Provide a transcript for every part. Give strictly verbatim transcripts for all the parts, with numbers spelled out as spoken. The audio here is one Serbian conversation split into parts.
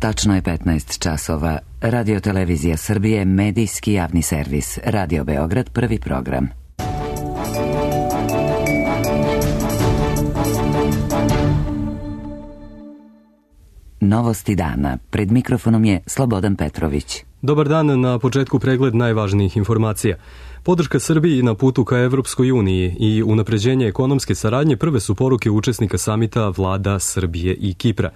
Tačno je petnaest časova. Radio Televizija Srbije, medijski javni servis. Radio Beograd, prvi program. Novosti dana. Pred mikrofonom je Slobodan Petrović. Dobar dan, na početku pregled najvažnijih informacija. Podrška Srbiji na putu ka Evropskoj uniji i unapređenje ekonomske saradnje prve su poruke učesnika samita vlada Srbije i Kipra.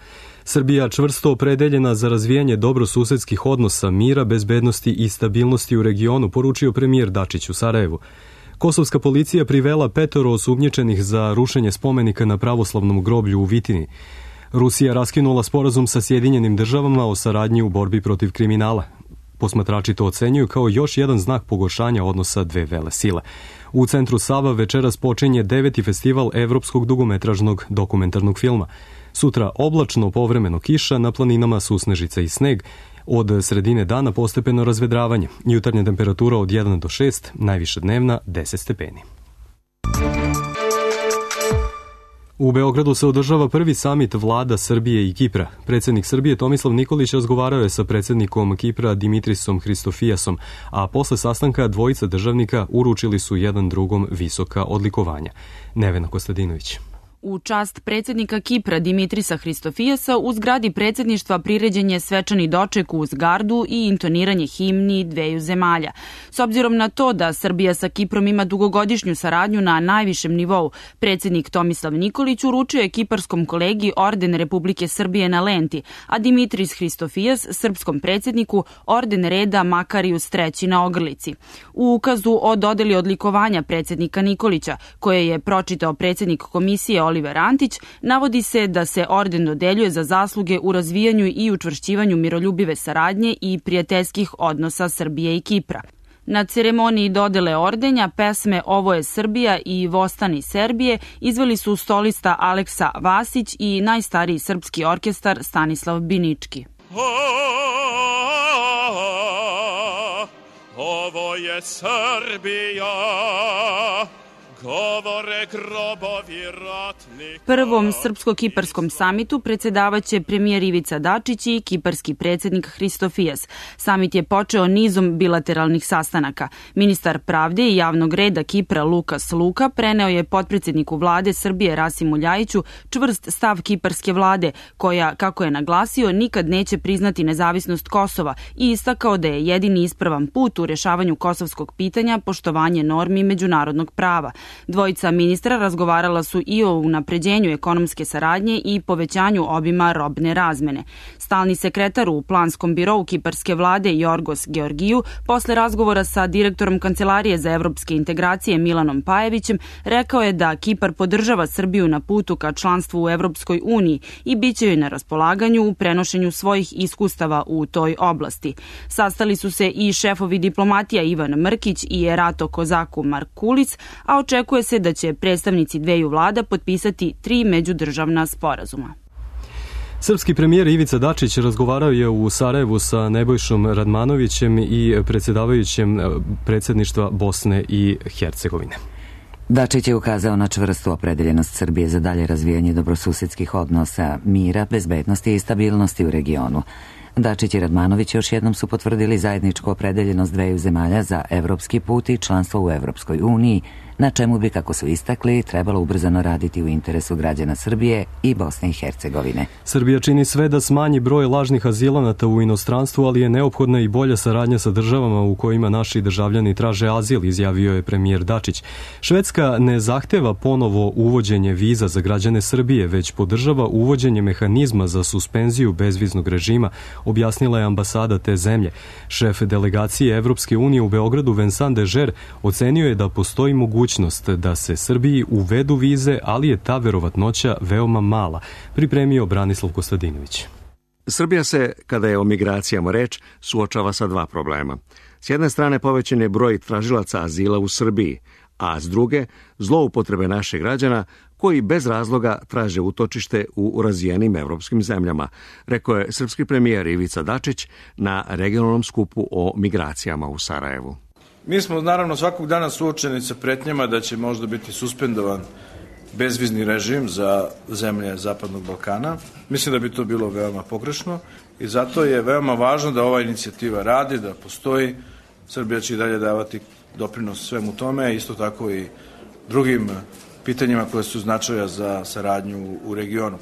Srbija čvrsto opredeljena za razvijanje dobrosusedskih odnosa, mira, bezbednosti i stabilnosti u regionu, poručio premijer Dačić u Sarajevu. Kosovska policija privela petoro osumnjičenih za rušenje spomenika na pravoslavnom groblju u Vitini. Rusija raskinula sporazum sa Sjedinjenim državama o saradnji u borbi protiv kriminala. Posmatrači to ocenjuju kao još jedan znak pogoršanja odnosa dve velesile. U centru Sava večeras počinje deveti festival evropskog dugometražnog dokumentarnog filma. Sutra oblačno, povremeno kiša, na planinama susnežica i sneg. Od sredine dana postepeno razvedravanje. Jutarnja temperatura od jedan do šest, najviša dnevna deset stepeni. U Beogradu se održava prvi samit vlada Srbije i Kipra. Predsjednik Srbije Tomislav Nikolić razgovarao je sa predsjednikom Kipra Dimitrisom Hristofijasom, a posle sastanka dvojica državnika uručili su jedan drugom visoka odlikovanja. Nevena Kostadinović. U čast predsjednika Kipra Dimitrisa Hristofijasa u zgradi predsjedništva priređen je svečani doček uz gardu i intoniranje himni dveju zemalja. S obzirom na to da Srbija sa Kiprom ima dugogodišnju saradnju na najvišem nivou, predsjednik Tomislav Nikolić uručio je kiparskom kolegi orden Republike Srbije na lenti, a Dimitris Hristofijas srpskom predsjedniku orden reda Makarius treći na ogrlici. U ukazu o dodeli odlikovanja predsjednika Nikolića, koje je pročitao predsjednik komisije Oliver Antić, navodi se da se orden dodeljuje za zasluge u razvijanju i učvršćivanju miroljubive saradnje i prijateljskih odnosa Srbije i Kipra. Na ceremoniji dodele ordenja pesme Ovo je Srbija i Vostani Serbije izveli su solista Aleksa Vasić i najstariji srpski orkestar Stanislav Binički. Ovo je Srbija. Prvom srpsko-kiparskom samitu predsjedavaće premijer Ivica Dačić i kiparski predsjednik Hristofijas. Samit je počeo nizom bilateralnih sastanaka. Ministar pravde i javnog reda Kipra Lukas Luka preneo je potpredsjedniku vlade Srbije Rasimu Ljajiću čvrst stav kiparske vlade, koja, kako je naglasio, nikad neće priznati nezavisnost Kosova i istakao da je jedini ispravan put u rješavanju kosovskog pitanja poštovanje normi međunarodnog prava. Dvojica ministra razgovarala su i o unapređenju ekonomske saradnje i povećanju obima robne razmene. Stalni sekretar u planskom birou kiparske vlade Jorgos Georgiju, posle razgovora sa direktorom Kancelarije za evropske integracije Milanom Pajevićem, rekao je da Kipar podržava Srbiju na putu ka članstvu u Evropskoj uniji i bit će joj na raspolaganju u prenošenju svojih iskustava u toj oblasti. Sastali su se i šefovi diplomatija Ivan Mrkić i Erato Kozaku Markulic, a očekuje se da će predstavnici dveju vlada potpisati tri međudržavna sporazuma. Srpski premijer Ivica Dačić razgovarao je u Sarajevu sa Nebojšom Radmanovićem i predsjedavajućem predsjedništva Bosne i Hercegovine. Dačić je ukazao na čvrstu opredeljenost Srbije za dalje razvijanje dobrosusedskih odnosa, mira, bezbednosti i stabilnosti u regionu. Dačić i Radmanović još jednom su potvrdili zajedničku opredeljenost dveju zemalja za evropski put i članstvo u Evropskoj uniji, na čemu bi, kako su istakli, trebalo ubrzano raditi u interesu građana Srbije i Bosne i Hercegovine. Srbija čini sve da smanji broj lažnih azilanata u inostranstvu, ali je neophodna i bolja saradnja sa državama u kojima naši državljani traže azil, izjavio je premijer Dačić. Švedska ne zahteva ponovo uvođenje viza za građane Srbije, već podržava uvođenje mehanizma za suspenziju bezviznog režima, objasnila je ambasada te zemlje. Šef delegacije Evropske unije u Beogradu Vincent Dežer ocenio je da postoji mogućnost da se Srbiji uvedu vize, ali je ta verovatnoća veoma mala, pripremio Branislav Kostadinović. Srbija se, kada je o migracijama reč, suočava sa dva problema. S jedne strane povećan je broj tražilaca azila u Srbiji, a s druge zloupotrebe naših građana koji bez razloga traže utočište u razvijenim evropskim zemljama, rekao je srpski premijer Ivica Dačić na regionalnom skupu o migracijama u Sarajevu. Mi smo naravno svakog dana suočeni sa pretnjama da će možda biti suspendovan bezvizni režim za zemlje Zapadnog Balkana. Mislim da bi to bilo veoma pogrešno i zato je veoma važno da ova inicijativa radi, da postoji. Srbija će i dalje davati doprinos svemu tome, isto tako i drugim pitanjima koje su značaja za saradnju u regionu.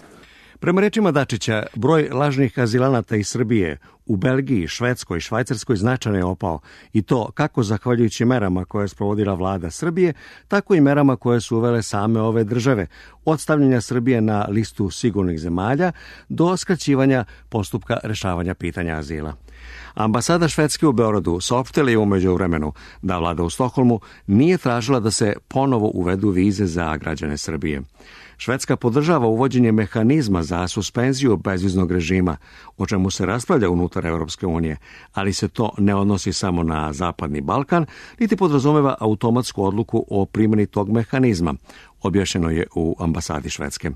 Prema rečima Dačića, broj lažnih azilanata iz Srbije u Belgiji, Švedskoj i Švajcarskoj značajno je opao i to kako zahvaljujući merama koje je sprovodila vlada Srbije, tako i merama koje su uvele same ove države, od stavljanja Srbije na listu sigurnih zemalja do skraćivanja postupka rešavanja pitanja azila. Ambasada Švedske u Beogradu saopštila je u međuvremenu da vlada u Stokholmu nije tražila da se ponovo uvedu vize za građane Srbije. Švedska podržava uvođenje mehanizma za suspenziju bezviznog režima, o čemu se raspravlja unutar Europske unije, ali se to ne odnosi samo na Zapadni Balkan, niti podrazumeva automatsku odluku o primjeni tog mehanizma, objašnjeno je u ambasadi Švedske.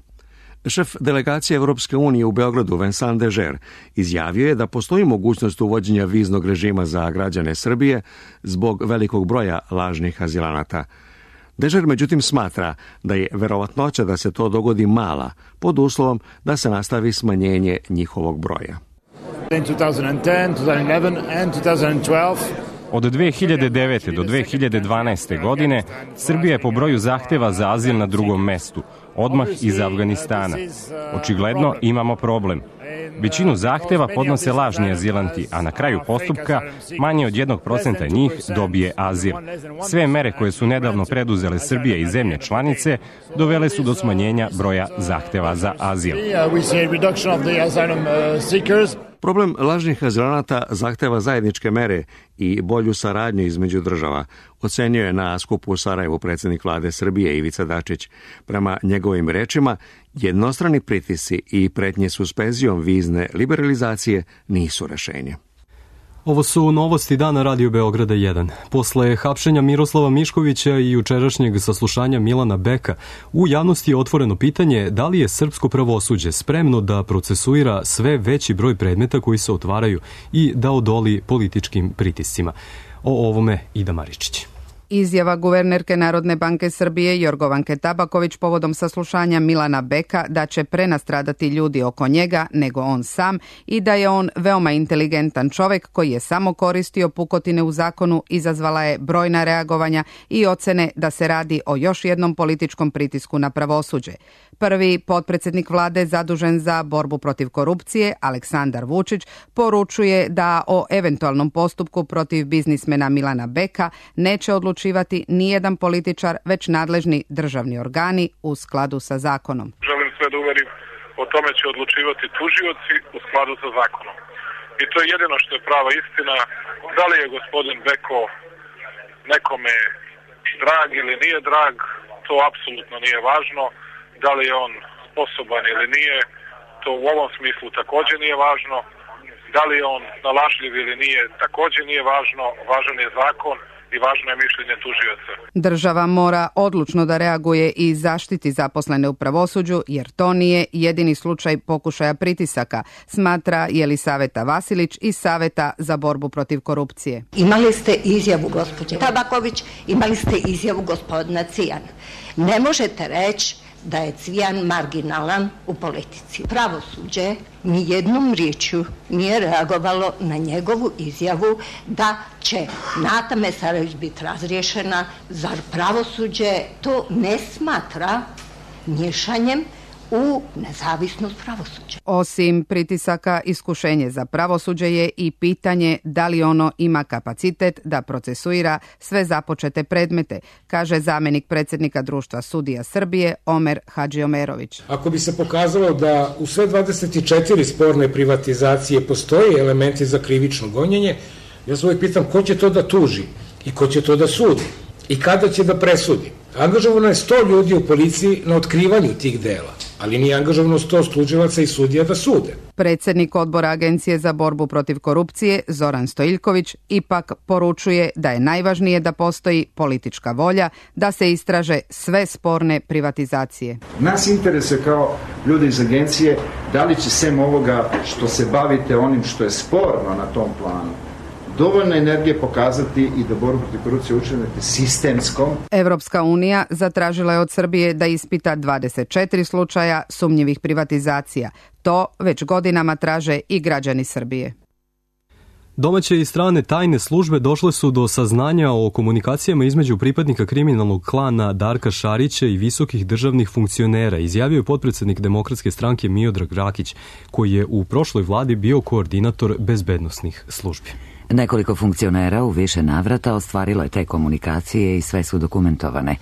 Šef delegacije Europske unije u Beogradu, Vincent Dežer, izjavio je da postoji mogućnost uvođenja viznog režima za građane Srbije zbog velikog broja lažnih azilanata. Dežer međutim smatra da je verovatnoća da se to dogodi mala, pod uslovom da se nastavi smanjenje njihovog broja. Od dve hiljade devete. do dve hiljade dvanaeste. godine Srbija je po broju zahteva za azil na drugom mestu, odmah iz Afganistana. Očigledno imamo problem. Većinu zahteva podnose lažni azilanti, a na kraju postupka manje od jednog procenta njih dobije azil. Sve mere koje su nedavno preduzele Srbija i zemlje članice dovele su do smanjenja broja zahteva za azil. Problem lažnih azilanata zahteva zajedničke mere i bolju saradnju između država, ocenio je na skupu u Sarajevu predsjednik vlade Srbije Ivica Dačić. Prema njegovim rečima, jednostrani pritisci i pretnje suspenzijom vizne liberalizacije nisu rešenje. Ovo su novosti dana Radio Beograda jedan. Posle hapšenja Miroslava Miškovića i jučerašnjeg saslušanja Milana Beka, u javnosti je otvoreno pitanje da li je srpsko pravosuđe spremno da procesuira sve veći broj predmeta koji se otvaraju i da odoli političkim pritiscima. O ovome Ida Maričić. Izjava guvernerke Narodne banke Srbije Jorgovanke Tabaković povodom saslušanja Milana Beka da će prenastradati ljudi oko njega nego on sam i da je on veoma inteligentan čovek koji je samo koristio pukotine u zakonu izazvala je brojna reagovanja i ocene da se radi o još jednom političkom pritisku na pravosuđe. Prvi potpredsednik vlade zadužen za borbu protiv korupcije, Aleksandar Vučić, poručuje da o eventualnom postupku protiv biznismena Milana Beka neće odlučivati nijedan političar, već nadležni državni organi u skladu sa zakonom. Želim sve da uverim, o tome će odlučivati tužioci u skladu sa zakonom. I to je jedino što je prava istina. Da li je gospodin Beko nekome drag ili nije drag, to apsolutno nije važno. Da li je on sposoban ili nije, to u ovom smislu također nije važno. Da li je on nalažljiv ili nije, također nije važno. Važan je zakon i važno je mišljenje tužioca. Država mora odlučno da reaguje i zaštiti zaposlene u pravosuđu, jer to nije jedini slučaj pokušaja pritisaka, smatra Jelisaveta Vasilić iz Saveta za borbu protiv korupcije. Imali ste izjavu gospođe Tabaković, imali ste izjavu gospodina Cvijana. Ne možete reći da je Cvijan marginalan u politici. Pravosuđe ni jednom riječju nije reagovalo na njegovu izjavu da će Nata Mesarović biti razriješena. Zar pravosuđe to ne smatra miješanjem u nezavisnost pravosuđa? Osim pritisaka, iskušenje za pravosuđe je i pitanje da li ono ima kapacitet da procesuira sve započete predmete, kaže zamenik predsjednika Društva sudija Srbije Omer Hadžiomerović. Ako bi se pokazalo da u sve dvadeset četiri sporne privatizacije postoje elementi za krivično gonjenje, ja se uvijek pitam ko će to da tuži i ko će to da sudi i kada će da presudi. Angažovano je sto ljudi u policiji na otkrivanju tih dela, ali nije angažovano sto tužilaca i sudija da sude. Predsjednik odbora Agencije za borbu protiv korupcije Zoran Stojiljković ipak poručuje da je najvažnije da postoji politička volja da se istraže sve sporne privatizacije. Nas interesuje kao ljudi iz agencije da li će sem ovoga što se bavite onim što je sporno na tom planu, dovoljno energije pokazati i da borbu protiv korupcije učinite sistemskom. Evropska unija zatražila je od Srbije da ispita dvadeset četiri slučaja sumnjivih privatizacija. To već godinama traže i građani Srbije. Domaće i strane tajne službe došle su do saznanja o komunikacijama između pripadnika kriminalnog klana Darka Šarića i visokih državnih funkcionera, izjavio je potpredsednik Demokratske stranke Miodrag Rakić, koji je u prošloj vladi bio koordinator bezbednosnih službi. Nekoliko funkcionera u više navrata ostvarilo je te komunikacije i sve su dokumentovane.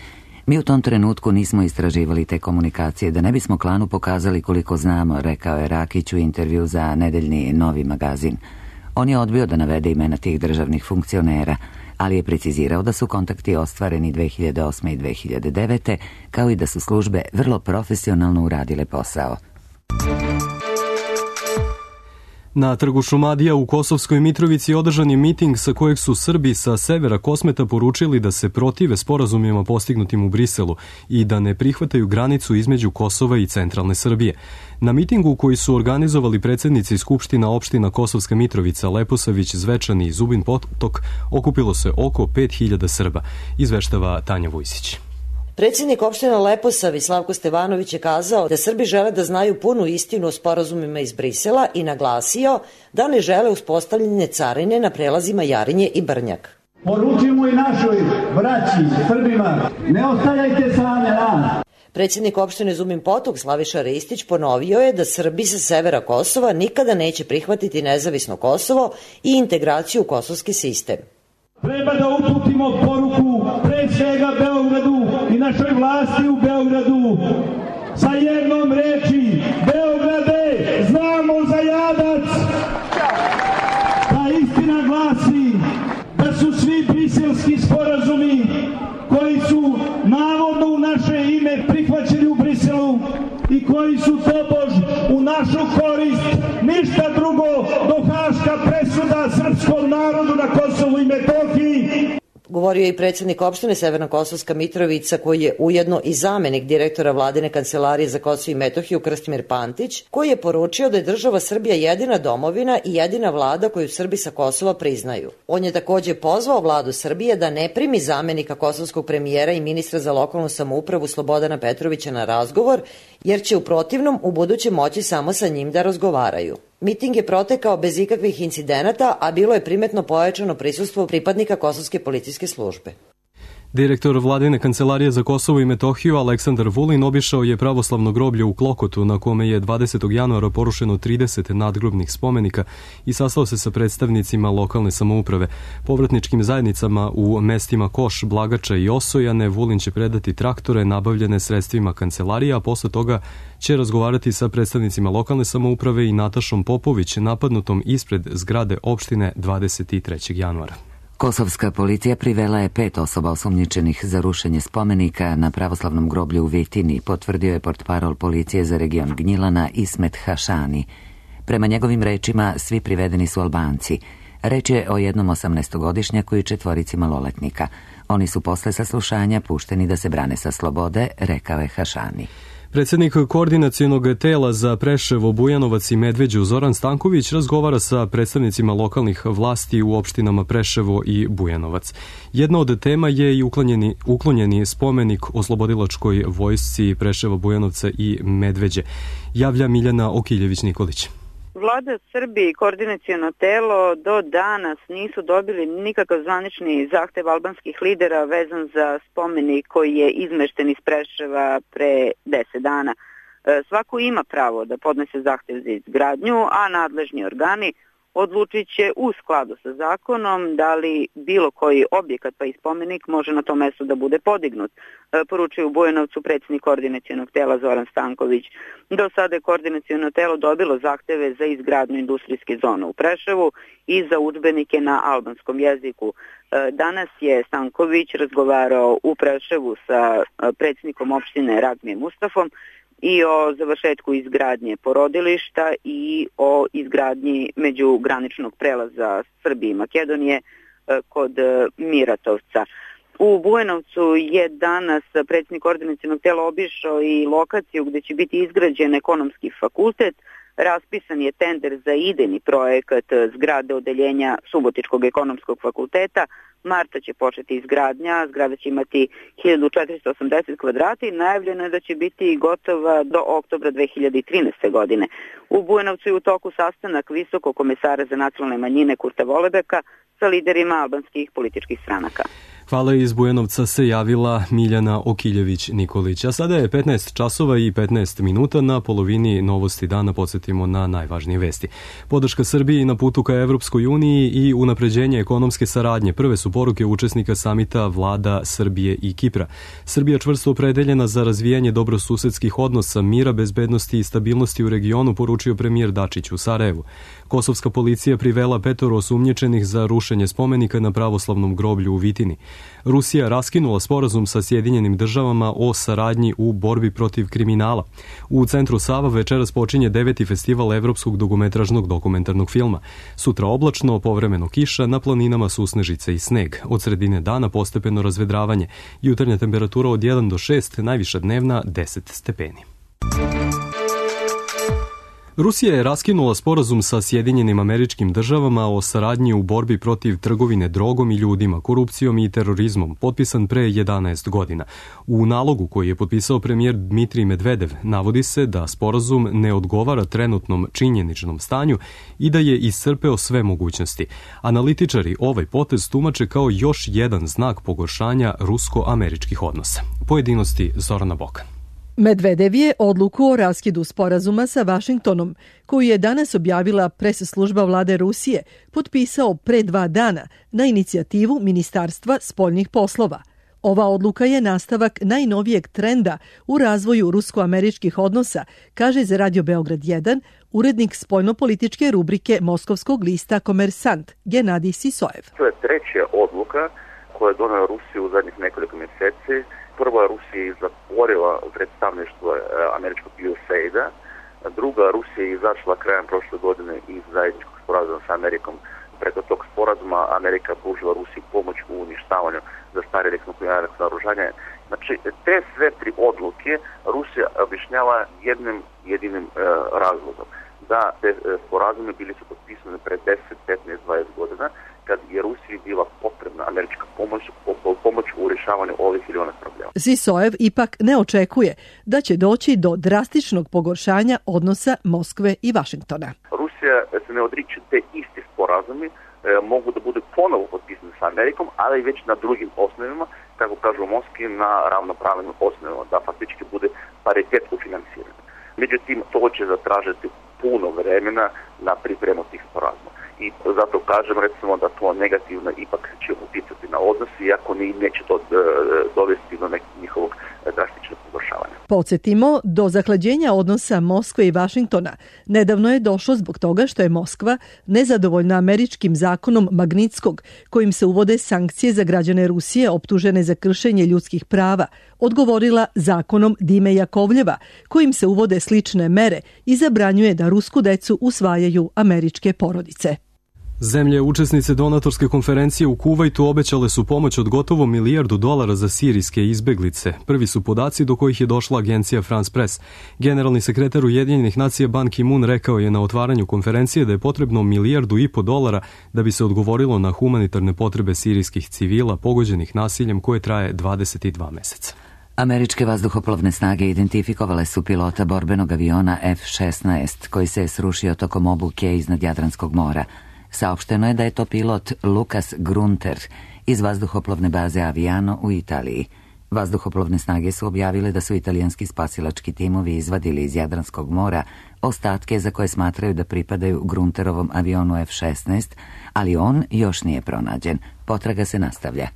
Mi u tom trenutku nismo istraživali te komunikacije da ne bismo klanu pokazali koliko znamo, rekao je Rakić u intervju za nedeljni Novi magazin. On je odbio da navede imena tih državnih funkcionera, ali je precizirao da su kontakti ostvareni dve hiljade osme i dve hiljade devete, kao i da su službe vrlo profesionalno uradile posao. Na trgu Šumadija u Kosovskoj Mitrovici održan je miting sa kojeg su Srbi sa severa Kosmeta poručili da se protive sporazumima postignutim u Briselu i da ne prihvataju granicu između Kosova i centralne Srbije. Na mitingu koji su organizovali predsjednici Skupština opština Kosovska Mitrovica, Leposavić, Zvečani i Zubin Potok okupilo se oko pet hiljada Srba, izveštava Tanja Vujsić. Predsjednik opština Leposavić Slavko Stevanović je kazao da Srbi žele da znaju punu istinu o sporazumima iz Brisela i naglasio da ne žele uspostavljanje carine na prelazima Jarinje i Brnjak. Poručimo i našoj braći Srbima, ne ostavljajte same nas. Predsjednik opštine Zubin Potok Slaviša Ristić ponovio je da Srbi sa severa Kosova nikada neće prihvatiti nezavisno Kosovo i integraciju u kosovski sistem. Treba da uputimo poruku pre svega Beogradu i našoj vlasti u Beogradu sa jednom reči: Beograde, znamo za jadac! Ta istina glasi da su svi briselski sporazumi koji su navodno u naše ime prihvaćeni u Briselu i koji su tobož u našu korist ništa drugo do haška presuda srpskom narodu na Kosovu i Metohiji. Govorio je i predsjednik opštine Severna Kosovska Mitrovica, koji je ujedno i zamenik direktora vladine kancelarije za Kosovo i Metohiju Krstimir Pantić, koji je poručio da je država Srbija jedina domovina i jedina vlada koju Srbi sa Kosova priznaju. On je takođe pozvao vladu Srbije da ne primi zamenika kosovskog premijera i ministra za lokalnu samoupravu Slobodana Petrovića na razgovor, jer će u protivnom u buduće moći samo sa njim da razgovaraju. Miting je protekao bez ikakvih incidenata, a bilo je primetno pojačano prisustvo pripadnika Kosovske policijske službe. Direktor vladine kancelarije za Kosovo i Metohiju Aleksandar Vulin obišao je pravoslavno groblje u Klokotu, na kome je dvadesetog januara porušeno trideset nadgrobnih spomenika, i sastao se sa predstavnicima lokalne samouprave. Povratničkim zajednicama u mestima Koš, Blagača i Osojane Vulin će predati traktore nabavljene sredstvima kancelarije, a posle toga će razgovarati sa predstavnicima lokalne samouprave i Natašom Popović, napadnutom ispred zgrade opštine dvadeset trećeg januara. Kosovska policija privela je pet osoba osumnjičenih za rušenje spomenika na pravoslavnom groblju u Vitini, potvrdio je portparol policije za region Gnjilana Ismet Hašani. Prema njegovim rečima, svi privedeni su Albanci. Reč je o jednom osamnaestogodišnjaku i četvorici maloletnika. Oni su posle saslušanja pušteni da se brane sa slobode, rekao je Hašani. Predsjednik koordinacionog tela za Preševo, Bujanovac i Medveđu Zoran Stanković razgovara sa predstavnicima lokalnih vlasti u opštinama Preševo i Bujanovac. Jedna od tema je i uklonjeni, uklonjeni spomenik oslobodilačkoj vojsci Preševa, Bujanovca i Medveđe, javlja Miljana Okiljević-Nikolić. Vlada Srbije i koordinaciono telo do danas nisu dobili nikakav zvanični zahtev albanskih lidera vezan za spomenik koji je izmešten iz Preševa pre deset dana. Svako ima pravo da podnese zahtev za izgradnju, a nadležni organi odlučit će u skladu sa zakonom da li bilo koji objekat pa i spomenik može na tom mestu da bude podignut, poručuje u Bujanovcu predsjednik koordinacionog tela Zoran Stanković. Do sada je koordinaciono telo dobilo zahteve za izgradnju industrijske zone u Preševu i za udžbenike na albanskom jeziku. Danas je Stanković razgovarao u Preševu sa predsjednikom opštine Ragmijem Mustafom i o završetku izgradnje porodilišta i o izgradnji međugraničnog prelaza Srbije i Makedonije kod Miratovca. U Bujanovcu je danas predsjednik koordinacionog tela obišao i lokaciju gde će biti izgrađen ekonomski fakultet. Raspisan je tender za idejni projekat zgrade odeljenja Subotičkog ekonomskog fakulteta. Marta će početi izgradnja, zgrada će imati hiljadu četiristo osamdeset kvadrata i najavljeno je da će biti gotova do oktobra dve hiljade trinaeste. godine. U Bujanovcu je u toku sastanak visokog komesara za nacionalne manjine Kurta Volebeka sa liderima albanskih političkih stranaka. Hvala, iz Bujanovca se javila Miljana Okiljević-Nikolić. A sada je petnaest časova i petnaest minuta, na polovini novosti dana podsjetimo na najvažnije vesti. Podrška Srbiji na putu ka Evropskoj uniji i unapređenje ekonomske saradnje prve su poruke učesnika samita vlada Srbije i Kipra. Srbija čvrsto opredeljena za razvijanje dobrosusedskih odnosa, mira, bezbednosti i stabilnosti u regionu, poručio premijer Dačić u Sarajevu. Kosovska policija privela petoro osumnjičenih za rušenje spomenika na pravoslavnom groblju u Vitini. Rusija raskinula sporazum sa Sjedinjenim državama o saradnji u borbi protiv kriminala. U centru Sava večeras počinje deveti festival evropskog dugometražnog dokumentarnog filma. Sutra oblačno, povremeno kiša, na planinama susnežice i sneg. Od sredine dana postepeno razvedravanje. Jutarnja temperatura od jedan do šest, najviša dnevna deset stepeni. Rusija je raskinula sporazum sa Sjedinjenim Američkim Državama o saradnji u borbi protiv trgovine drogom i ljudima, korupcijom i terorizmom, potpisan pre jedanaest godina. U nalogu koji je potpisao premijer Dmitrij Medvedev navodi se da sporazum ne odgovara trenutnom činjeničnom stanju i da je iscrpeo sve mogućnosti. Analitičari ovaj potez tumače kao još jedan znak pogoršanja rusko-američkih odnosa. Pojedinosti Zorana Bokan. Medvedev je odluku o raskidu sporazuma sa Vašingtonom, koju je danas objavila pres služba vlade Rusije, potpisao pre dva dana na inicijativu Ministarstva spoljnih poslova. Ova odluka je nastavak najnovijeg trenda u razvoju rusko-američkih odnosa, kaže za Radio Beograd jedan urednik spoljnopolitičke rubrike moskovskog lista Komersant, Genadij Sisojev. To je treća odluka koja je donela Rusiju u zadnjih nekoliko mjeseci. Prva, Rusija je zatvorila predstavništvo američkog U S A I D-a. Druga, Rusija je izašla krajem prošle godine iz zajedničkog sporazuma sa Amerikom. Preko tog sporazuma Amerika pružila Rusiji pomoć u uništavanju zastarjelih nuklearnih naoružanja. Znači, te sve tri odluke Rusija objašnjava jednim jedinim e, razlogom. Da te sporazume bili su potpisani pre deset, petnaest, dvadeset godina, kad je Rusiji bila potrebna američka pomoć, pomoć u rješavanju ovih ili onih problema. Sisojev ipak ne očekuje da će doći do drastičnog pogoršanja odnosa Moskve i Vašingtona. Rusija se ne odriče te isti sporazumi, e, mogu da budu ponovo potpisani sa Amerikom, ali već na drugim osnovima, kako kažu u Moskvi, na ravnopravnim osnovima, da faktički bude paritet u financiranju. Međutim, to će zatražiti puno vremena na pripremu tih sporazuma. I zato kažem, recimo, da to negativno ipak će uticati na odnos, iako ni neće to dovesti do nekog njihovog drastičnog pogoršavanja. Podsjetimo, do zahlađenja odnosa Moskve i Vašingtona nedavno je došlo zbog toga što je Moskva nezadovoljna američkim zakonom Magnitskog, kojim se uvode sankcije za građane Rusije optužene za kršenje ljudskih prava, odgovorila zakonom Dime Jakovljeva, kojim se uvode slične mere i zabranjuje da rusku decu usvajaju američke porodice. Zemlje učesnice donatorske konferencije u Kuvajtu obećale su pomoć od gotovo milijardu dolara za sirijske izbeglice. Prvi su podaci do kojih je došla agencija France Press. Generalni sekretar Ujedinjenih nacija Ban Ki-moon rekao je na otvaranju konferencije da je potrebno milijardu i po dolara da bi se odgovorilo na humanitarne potrebe sirijskih civila pogođenih nasiljem koje traje dvadeset dva meseca. Američke vazduhoplovne snage identifikovale su pilota borbenog aviona F šesnaest koji se je srušio tokom obuke iznad Jadranskog mora. Saopšteno je da je to pilot Lukas Grunter iz vazduhoplovne baze Aviano u Italiji. Vazduhoplovne snage su objavile da su italijanski spasilački timovi izvadili iz Jadranskog mora ostatke za koje smatraju da pripadaju Grunterovom avionu F šesnaest, ali on još nije pronađen. Potraga se nastavlja.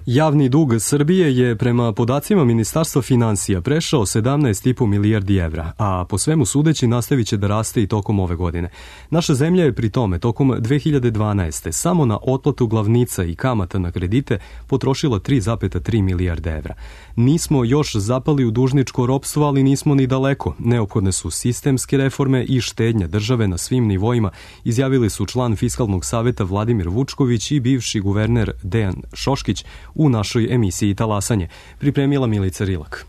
Javni dug Srbije je prema podacima Ministarstva finansija prešao sedamnaest i po milijardi evra, a po svemu sudeći nastavit će da raste i tokom ove godine. Naša zemlja je pri tome tokom dve hiljade dvanaeste. samo na otplatu glavnica i kamata na kredite potrošila tri zarez tri milijarde evra. Nismo još zapali u dužničko ropstvo, ali nismo ni daleko. Neophodne su sistemske reforme i štednja države na svim nivoima, izjavili su član Fiskalnog saveta Vladimir Vučković i bivši guverner Dejan Šoškić u našoj emisiji Talasanje. Pripremila Milica Rilak.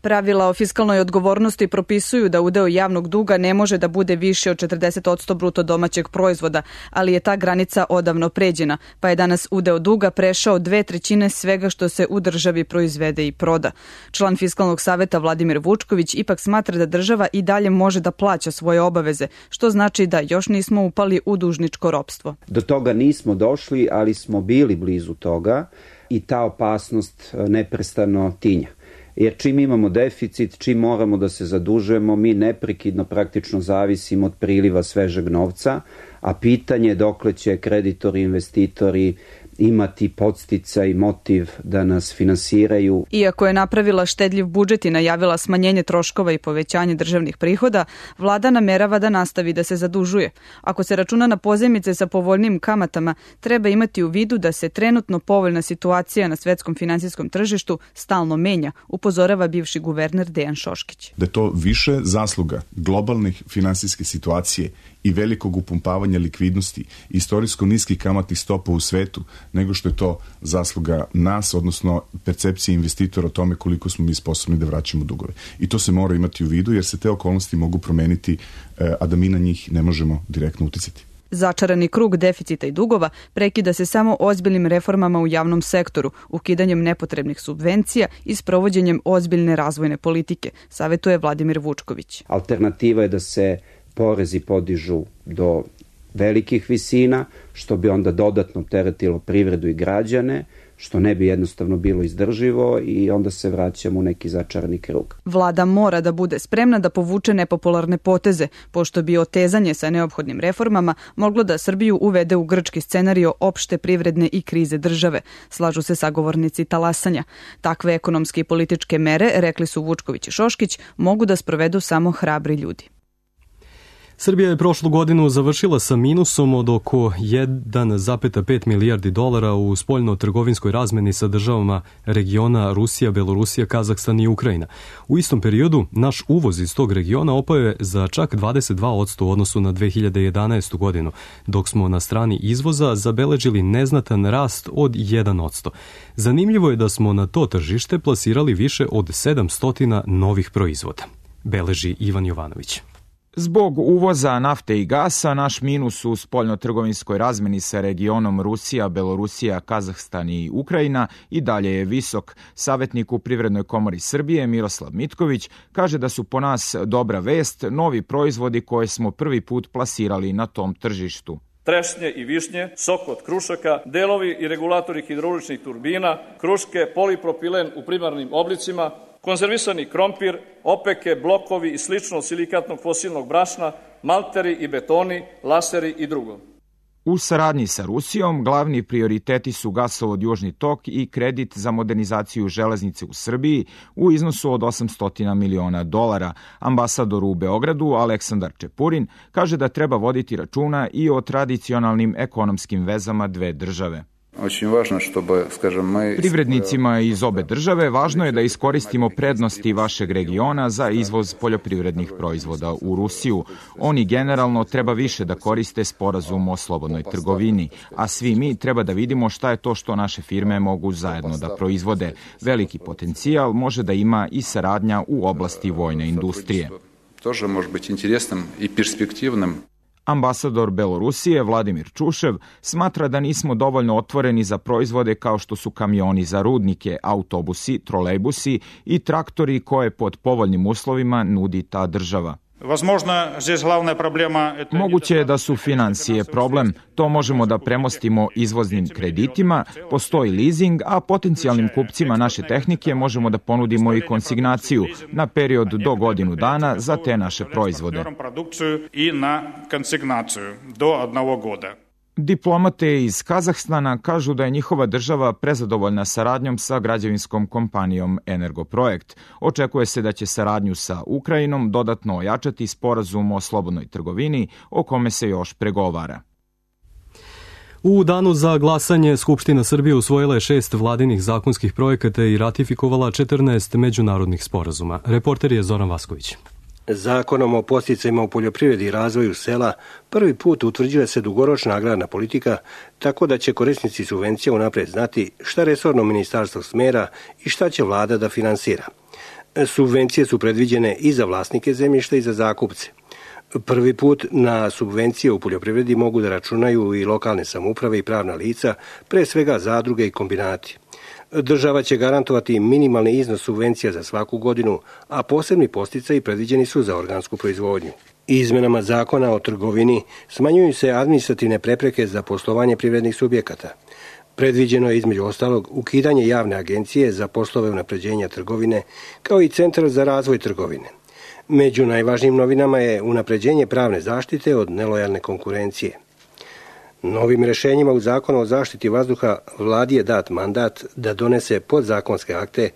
Pravila o fiskalnoj odgovornosti propisuju da udeo javnog duga ne može da bude više od četrdeset posto bruto domaćeg proizvoda, ali je ta granica odavno pređena, pa je danas udeo duga prešao dve trećine svega što se u državi proizvede i proda. Član Fiskalnog saveta Vladimir Vučković ipak smatra da država i dalje može da plaća svoje obaveze, što znači da još nismo upali u dužničko ropstvo. Do toga nismo došli, ali smo bili blizu toga i ta opasnost neprestano tinja. Jer čim imamo deficit, čim moramo da se zadužujemo, mi neprekidno praktično zavisimo od priliva svežeg novca, a pitanje je dokle će kreditori, investitori imati podsticaj i motiv da nas finansiraju. Iako je napravila štedljiv budžet i najavila smanjenje troškova i povećanje državnih prihoda, vlada namerava da nastavi da se zadužuje. Ako se računa na pozajmice sa povoljnim kamatama, treba imati u vidu da se trenutno povoljna situacija na svetskom finansijskom tržištu stalno menja, upozorava bivši guverner Dejan Šoškić. Da je to više zasluga globalnih finansijske situacije i velikog upumpavanja likvidnosti, istorijsko niskih kamatnih stopa u svetu, nego što je to zasluga nas, odnosno percepcije investitora o tome koliko smo mi sposobni da vraćamo dugove. I to se mora imati u vidu, jer se te okolnosti mogu promeniti, a da mi na njih ne možemo direktno uticati. Začarani krug deficita i dugova prekida se samo ozbiljnim reformama u javnom sektoru, ukidanjem nepotrebnih subvencija i sprovođenjem ozbiljne razvojne politike, savetuje Vladimir Vučković. Alternativa je da se porezi podižu do velikih visina, što bi onda dodatno teretilo privredu i građane, što ne bi jednostavno bilo izdrživo i onda se vraćamo u neki začarani krug. Vlada mora da bude spremna da povuče nepopularne poteze, pošto bi otezanje sa neophodnim reformama moglo da Srbiju uvede u grčki scenario opšte privredne i krize države, slažu se sagovornici talasanja. Takve ekonomske i političke mere, rekli su Vučković i Šoškić, mogu da sprovedu samo hrabri ljudi. Srbija je prošlu godinu završila sa minusom od oko jedan zarez pet milijardi dolara u spoljno-trgovinskoj razmeni sa državama regiona Rusija, Belorusija, Kazahstan i Ukrajina. U istom periodu naš uvoz iz tog regiona opao je za čak dvadeset dva posto u odnosu na dve hiljade jedanaestu godinu, dok smo na strani izvoza zabeležili neznatan rast od jedan posto. Zanimljivo je da smo na to tržište plasirali više od sedamsto novih proizvoda, beleži Ivan Jovanović. Zbog uvoza nafte i gasa, naš minus u spoljno-trgovinskoj razmeni sa regionom Rusija, Belorusija, Kazahstan i Ukrajina i dalje je visok. Savjetnik u Privrednoj komori Srbije Miroslav Mitković kaže da su po nas dobra vest novi proizvodi koje smo prvi put plasirali na tom tržištu. Trešnje i višnje, sok od krušaka, delovi i regulatori hidrauličnih turbina, kruške, polipropilen u primarnim oblicima, konzervisani krompir, opeke, blokovi i slično od silikatnog fosilnog brašna, malteri i betoni, laseri i drugo. U saradnji sa Rusijom glavni prioriteti su gasovod Južni tok i kredit za modernizaciju železnice u Srbiji u iznosu od osamsto miliona dolara. Ambasador u Beogradu Aleksandar Čepurin kaže da treba voditi računa i o tradicionalnim ekonomskim vezama dve države. Privrednicima iz obe države važno je da iskoristimo prednosti vašeg regiona za izvoz poljoprivrednih proizvoda u Rusiju. Oni generalno treba više da koriste sporazum o slobodnoj trgovini, a svi mi treba da vidimo šta je to što naše firme mogu zajedno da proizvode. Veliki potencijal može da ima i saradnja u oblasti vojne industrije. Тоже može biti interesnim i perspektivnim. Ambasador Belorusije Vladimir Čušev smatra da nismo dovoljno otvoreni za proizvode kao što su kamioni za rudnike, autobusi, trolejbusi i traktori koje pod povoljnim uslovima nudi ta država. Moguće je da su finansije problem, to možemo da premostimo izvoznim kreditima, postoji leasing, a potencijalnim kupcima naše tehnike možemo da ponudimo i konsignaciju na period do godinu dana za te naše proizvode. Diplomate iz Kazahstana kažu da je njihova država prezadovoljna saradnjom sa građevinskom kompanijom Energoprojekt. Očekuje se da će saradnju sa Ukrajinom dodatno ojačati sporazum o slobodnoj trgovini o kome se još pregovara. U danu za glasanje Skupština Srbije usvojila je šest vladinih zakonskih projekata i ratifikovala četrnaest međunarodnih sporazuma. Reporter je Zoran Vasković. Zakonom o podsticajima u poljoprivredi i razvoju sela prvi put utvrđuje se dugoročna agrarna politika, tako da će korisnici subvencija unapred znati šta resorno ministarstvo smera i šta će vlada da finansira. Subvencije su predviđene i za vlasnike zemljišta i za zakupce. Prvi put na subvencije u poljoprivredi mogu da računaju i lokalne samouprave i pravna lica, pre svega zadruge i kombinati. Država će garantovati minimalni iznos subvencija za svaku godinu, a posebni podsticaji predviđeni su za organsku proizvodnju. Izmenama zakona o trgovini smanjuju se administrativne prepreke za poslovanje privrednih subjekata. Predviđeno je između ostalog ukidanje javne agencije za poslove unapređenja trgovine, kao i Centar za razvoj trgovine. Među najvažnijim novinama je unapređenje pravne zaštite od nelojalne konkurencije. Novim rešenjima u Zakonu o zaštiti vazduha vladi je dat mandat da donese podzakonske akte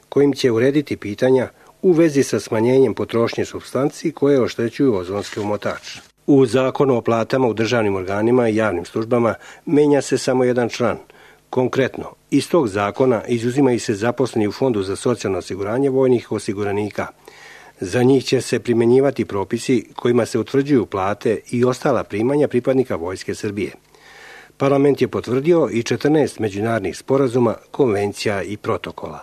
kojim će urediti pitanja u vezi sa smanjenjem potrošnje supstanci koje oštećuju ozonski omotač. U Zakonu o platama u državnim organima i javnim službama menja se samo jedan član. Konkretno, iz tog zakona izuzimaju se zaposleni u Fondu za socijalno osiguranje vojnih osiguranika. Za njih će se primenjivati propisi kojima se utvrđuju plate i ostala primanja pripadnika Vojske Srbije. Parlament je potvrdio i četrnaest međunarodnih sporazuma, konvencija i protokola.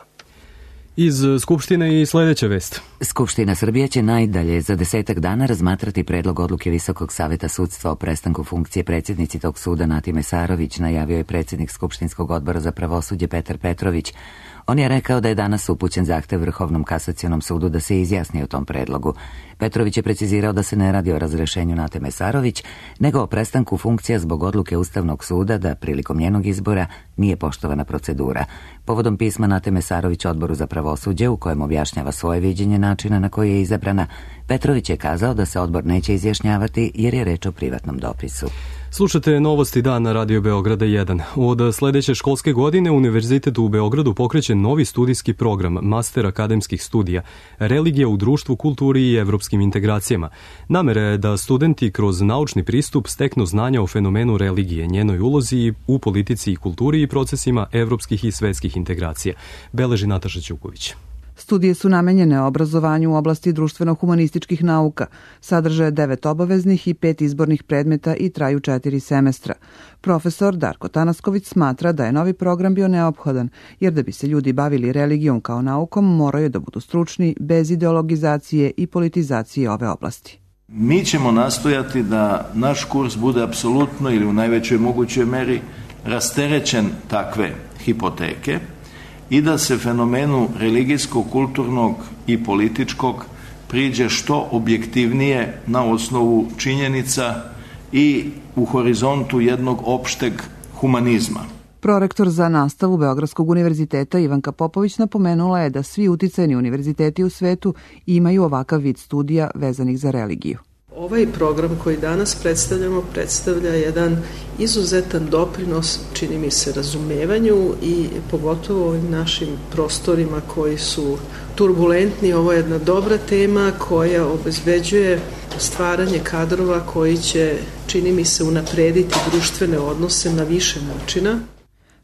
Iz Skupštine i sljedeća vest. Skupština Srbije će najdalje za desetak dana razmatrati predlog odluke Visokog saveta sudstva o prestanku funkcije predsjednici tog suda Nati Mesarović, najavio je predsjednik Skupštinskog odbora za pravosuđe Petar Petrović. On je rekao da je danas upućen zahtev Vrhovnom kasacionom sudu da se izjasni o tom predlogu. Petrović je precizirao da se ne radi o razrešenju Nate Mesarović, nego o prestanku funkcija zbog odluke Ustavnog suda da prilikom njenog izbora nije poštovana procedura. Povodom pisma Nate Mesarović Odboru za pravosuđe, u kojem objašnjava svoje viđenje načina na koji je izabrana, Petrović je kazao da se odbor neće izjašnjavati jer je reč o privatnom dopisu. Slušate Novosti dan na Radio Beograda jedan. Od sljedeće školske godine Univerzitet u Beogradu pokreće novi studijski program Master akademskih studija Religija u društvu, kulturi i evropskim integracijama. Namera je da studenti kroz naučni pristup steknu znanja o fenomenu religije, njenoj ulozi u politici i kulturi i procesima evropskih i svetskih integracija. Beleži Nataša Ćuković. Studije su namenjene obrazovanju u oblasti društveno-humanističkih nauka, sadrže devet obaveznih i pet izbornih predmeta i traju četiri semestra. Profesor Darko Tanasković smatra da je novi program bio neophodan, jer da bi se ljudi bavili religijom kao naukom, moraju da budu stručni, bez ideologizacije i politizacije ove oblasti. Mi ćemo nastojati da naš kurs bude apsolutno ili u najvećoj mogućoj meri rasterećen takve hipoteke, i da se fenomenu religijskog, kulturnog i političkog priđe što objektivnije na osnovu činjenica i u horizontu jednog opšteg humanizma. Prorektor za nastavu Beogradskog univerziteta Ivanka Popović napomenula je da svi uticajni univerziteti u svetu imaju ovakav vid studija vezanih za religiju. Ovaj program koji danas predstavljamo predstavlja jedan izuzetan doprinos, čini mi se, razumevanju i pogotovo ovim našim prostorima koji su turbulentni. Ovo je jedna dobra tema koja obezbeđuje stvaranje kadrova koji će, čini mi se, unaprediti društvene odnose na više načina.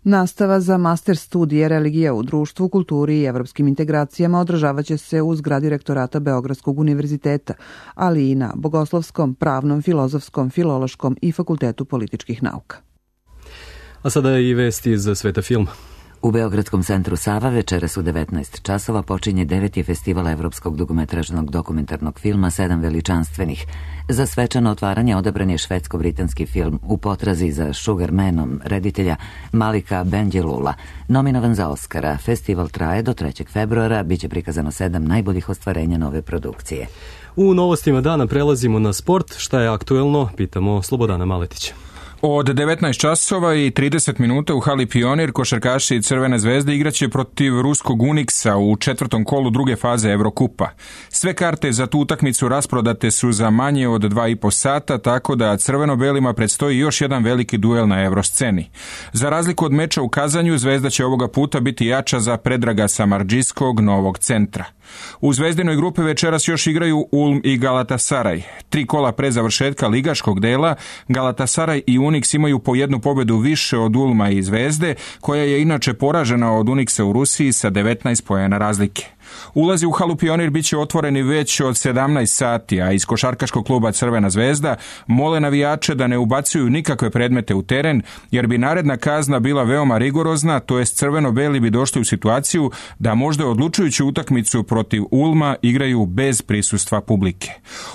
Nastava za master studije Religija u društvu, kulturi i evropskim integracijama održavat će se u zgradi rektorata Beogradskog univerziteta, ali i na Bogoslovskom, Pravnom, Filozofskom, Filološkom i Fakultetu političkih nauka. A sada je i vesti iz sveta filma. U Beogradskom centru Sava večeras u devetnaest časova počinje deveti festival evropskog dugometražnog dokumentarnog filma Sedam veličanstvenih. Za svečano otvaranje odabran je švedsko-britanski film U potrazi za Sugarmanom reditelja Malika Bendjelula. Nominovan za Oscara, festival traje do trećeg februara, bit će prikazano sedam najboljih ostvarenja nove produkcije. U novostima dana prelazimo na sport. Šta je aktuelno? Pitamo Slobodana Maletića. Od devetnaest časova i trideset minuta u hali Pionir košarkaši Crvene zvezde igraće protiv ruskog Uniksa u četvrtom kolu druge faze Evrokupa. Sve karte za tu utakmicu rasprodate su za manje od dva i po sata, tako da crveno-belima predstoji još jedan veliki duel na evrosceni. Za razliku od meča u Kazanju, Zvezda će ovoga puta biti jača za Predraga Samardžijskog Novog centra. U Zvezdinoj grupi večeras još igraju Ulm i Galatasaraj. Tri kola pre završetka ligaškog dela, Galatasaraj i Uniks imaju po jednu pobedu više od Ulma i Zvezde, koja je inače poražena od Uniksa u Rusiji sa devetnaest poena razlike. Ulazi u halu Pionir bit će otvoreni već od sedamnaest sati, a iz košarkaškog kluba Crvena zvezda mole navijače da ne ubacuju nikakve predmete u teren, jer bi naredna kazna bila veoma rigorozna, to jest crveno-beli bi došli u situaciju da možda odlučujuću utakmicu protiv Ulma igraju bez prisustva publike.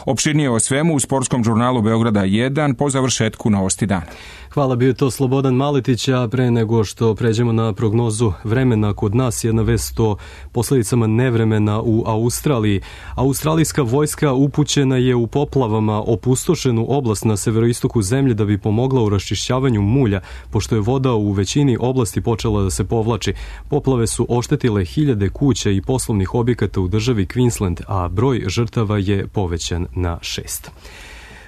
Opširnije o svemu u sportskom žurnalu Beograda jedan po završetku Novosti dana. Hvala, bio to Slobodan Maletić, a pre nego što pređemo na prognozu vremena kod nas, jedna vest o posljedicama nevremena u Australiji. Australijska vojska upućena je u poplavama opustošenu oblast na severoistoku zemlje da bi pomogla u raščišćavanju mulja, pošto je voda u većini oblasti počela da se povlači. Poplave su oštetile hiljade kuća i poslovnih objekata u državi Queensland, a broj žrtava je povećan na šest.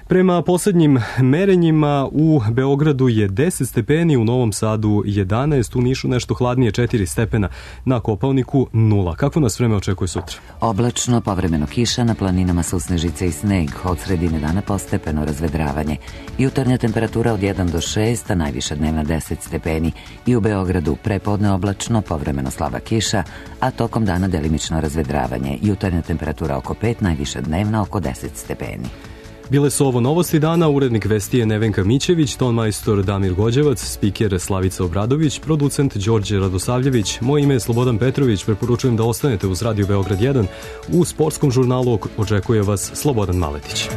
Prema posljednjim merenjima u Beogradu je deset stepeni, u Novom Sadu jedanaest, u Nišu nešto hladnije četiri stepena, na Kopaoniku nula. Kako nas vreme očekuje sutra? Oblačno, povremeno kiša, na planinama su snežice i sneg, od sredine dana postepeno razvedravanje. Jutarnja temperatura od jedan do šest, a najviša dnevna deset stepeni. I u Beogradu prepodne oblačno, povremeno slaba kiša, a tokom dana delimično razvedravanje. Jutarnja temperatura oko pet, najviša dnevna oko deset stepeni. Bile su ovo Novosti dana, urednik vesti je Nevenka Mićević, tonmajstor Damir Gođevac, spiker Slavica Obradović, producent Đorđe Radosavljević. Moje ime je Slobodan Petrović, preporučujem da ostanete uz Radio Beograd jedan. U sportskom žurnalu očekuje vas Slobodan Maletić.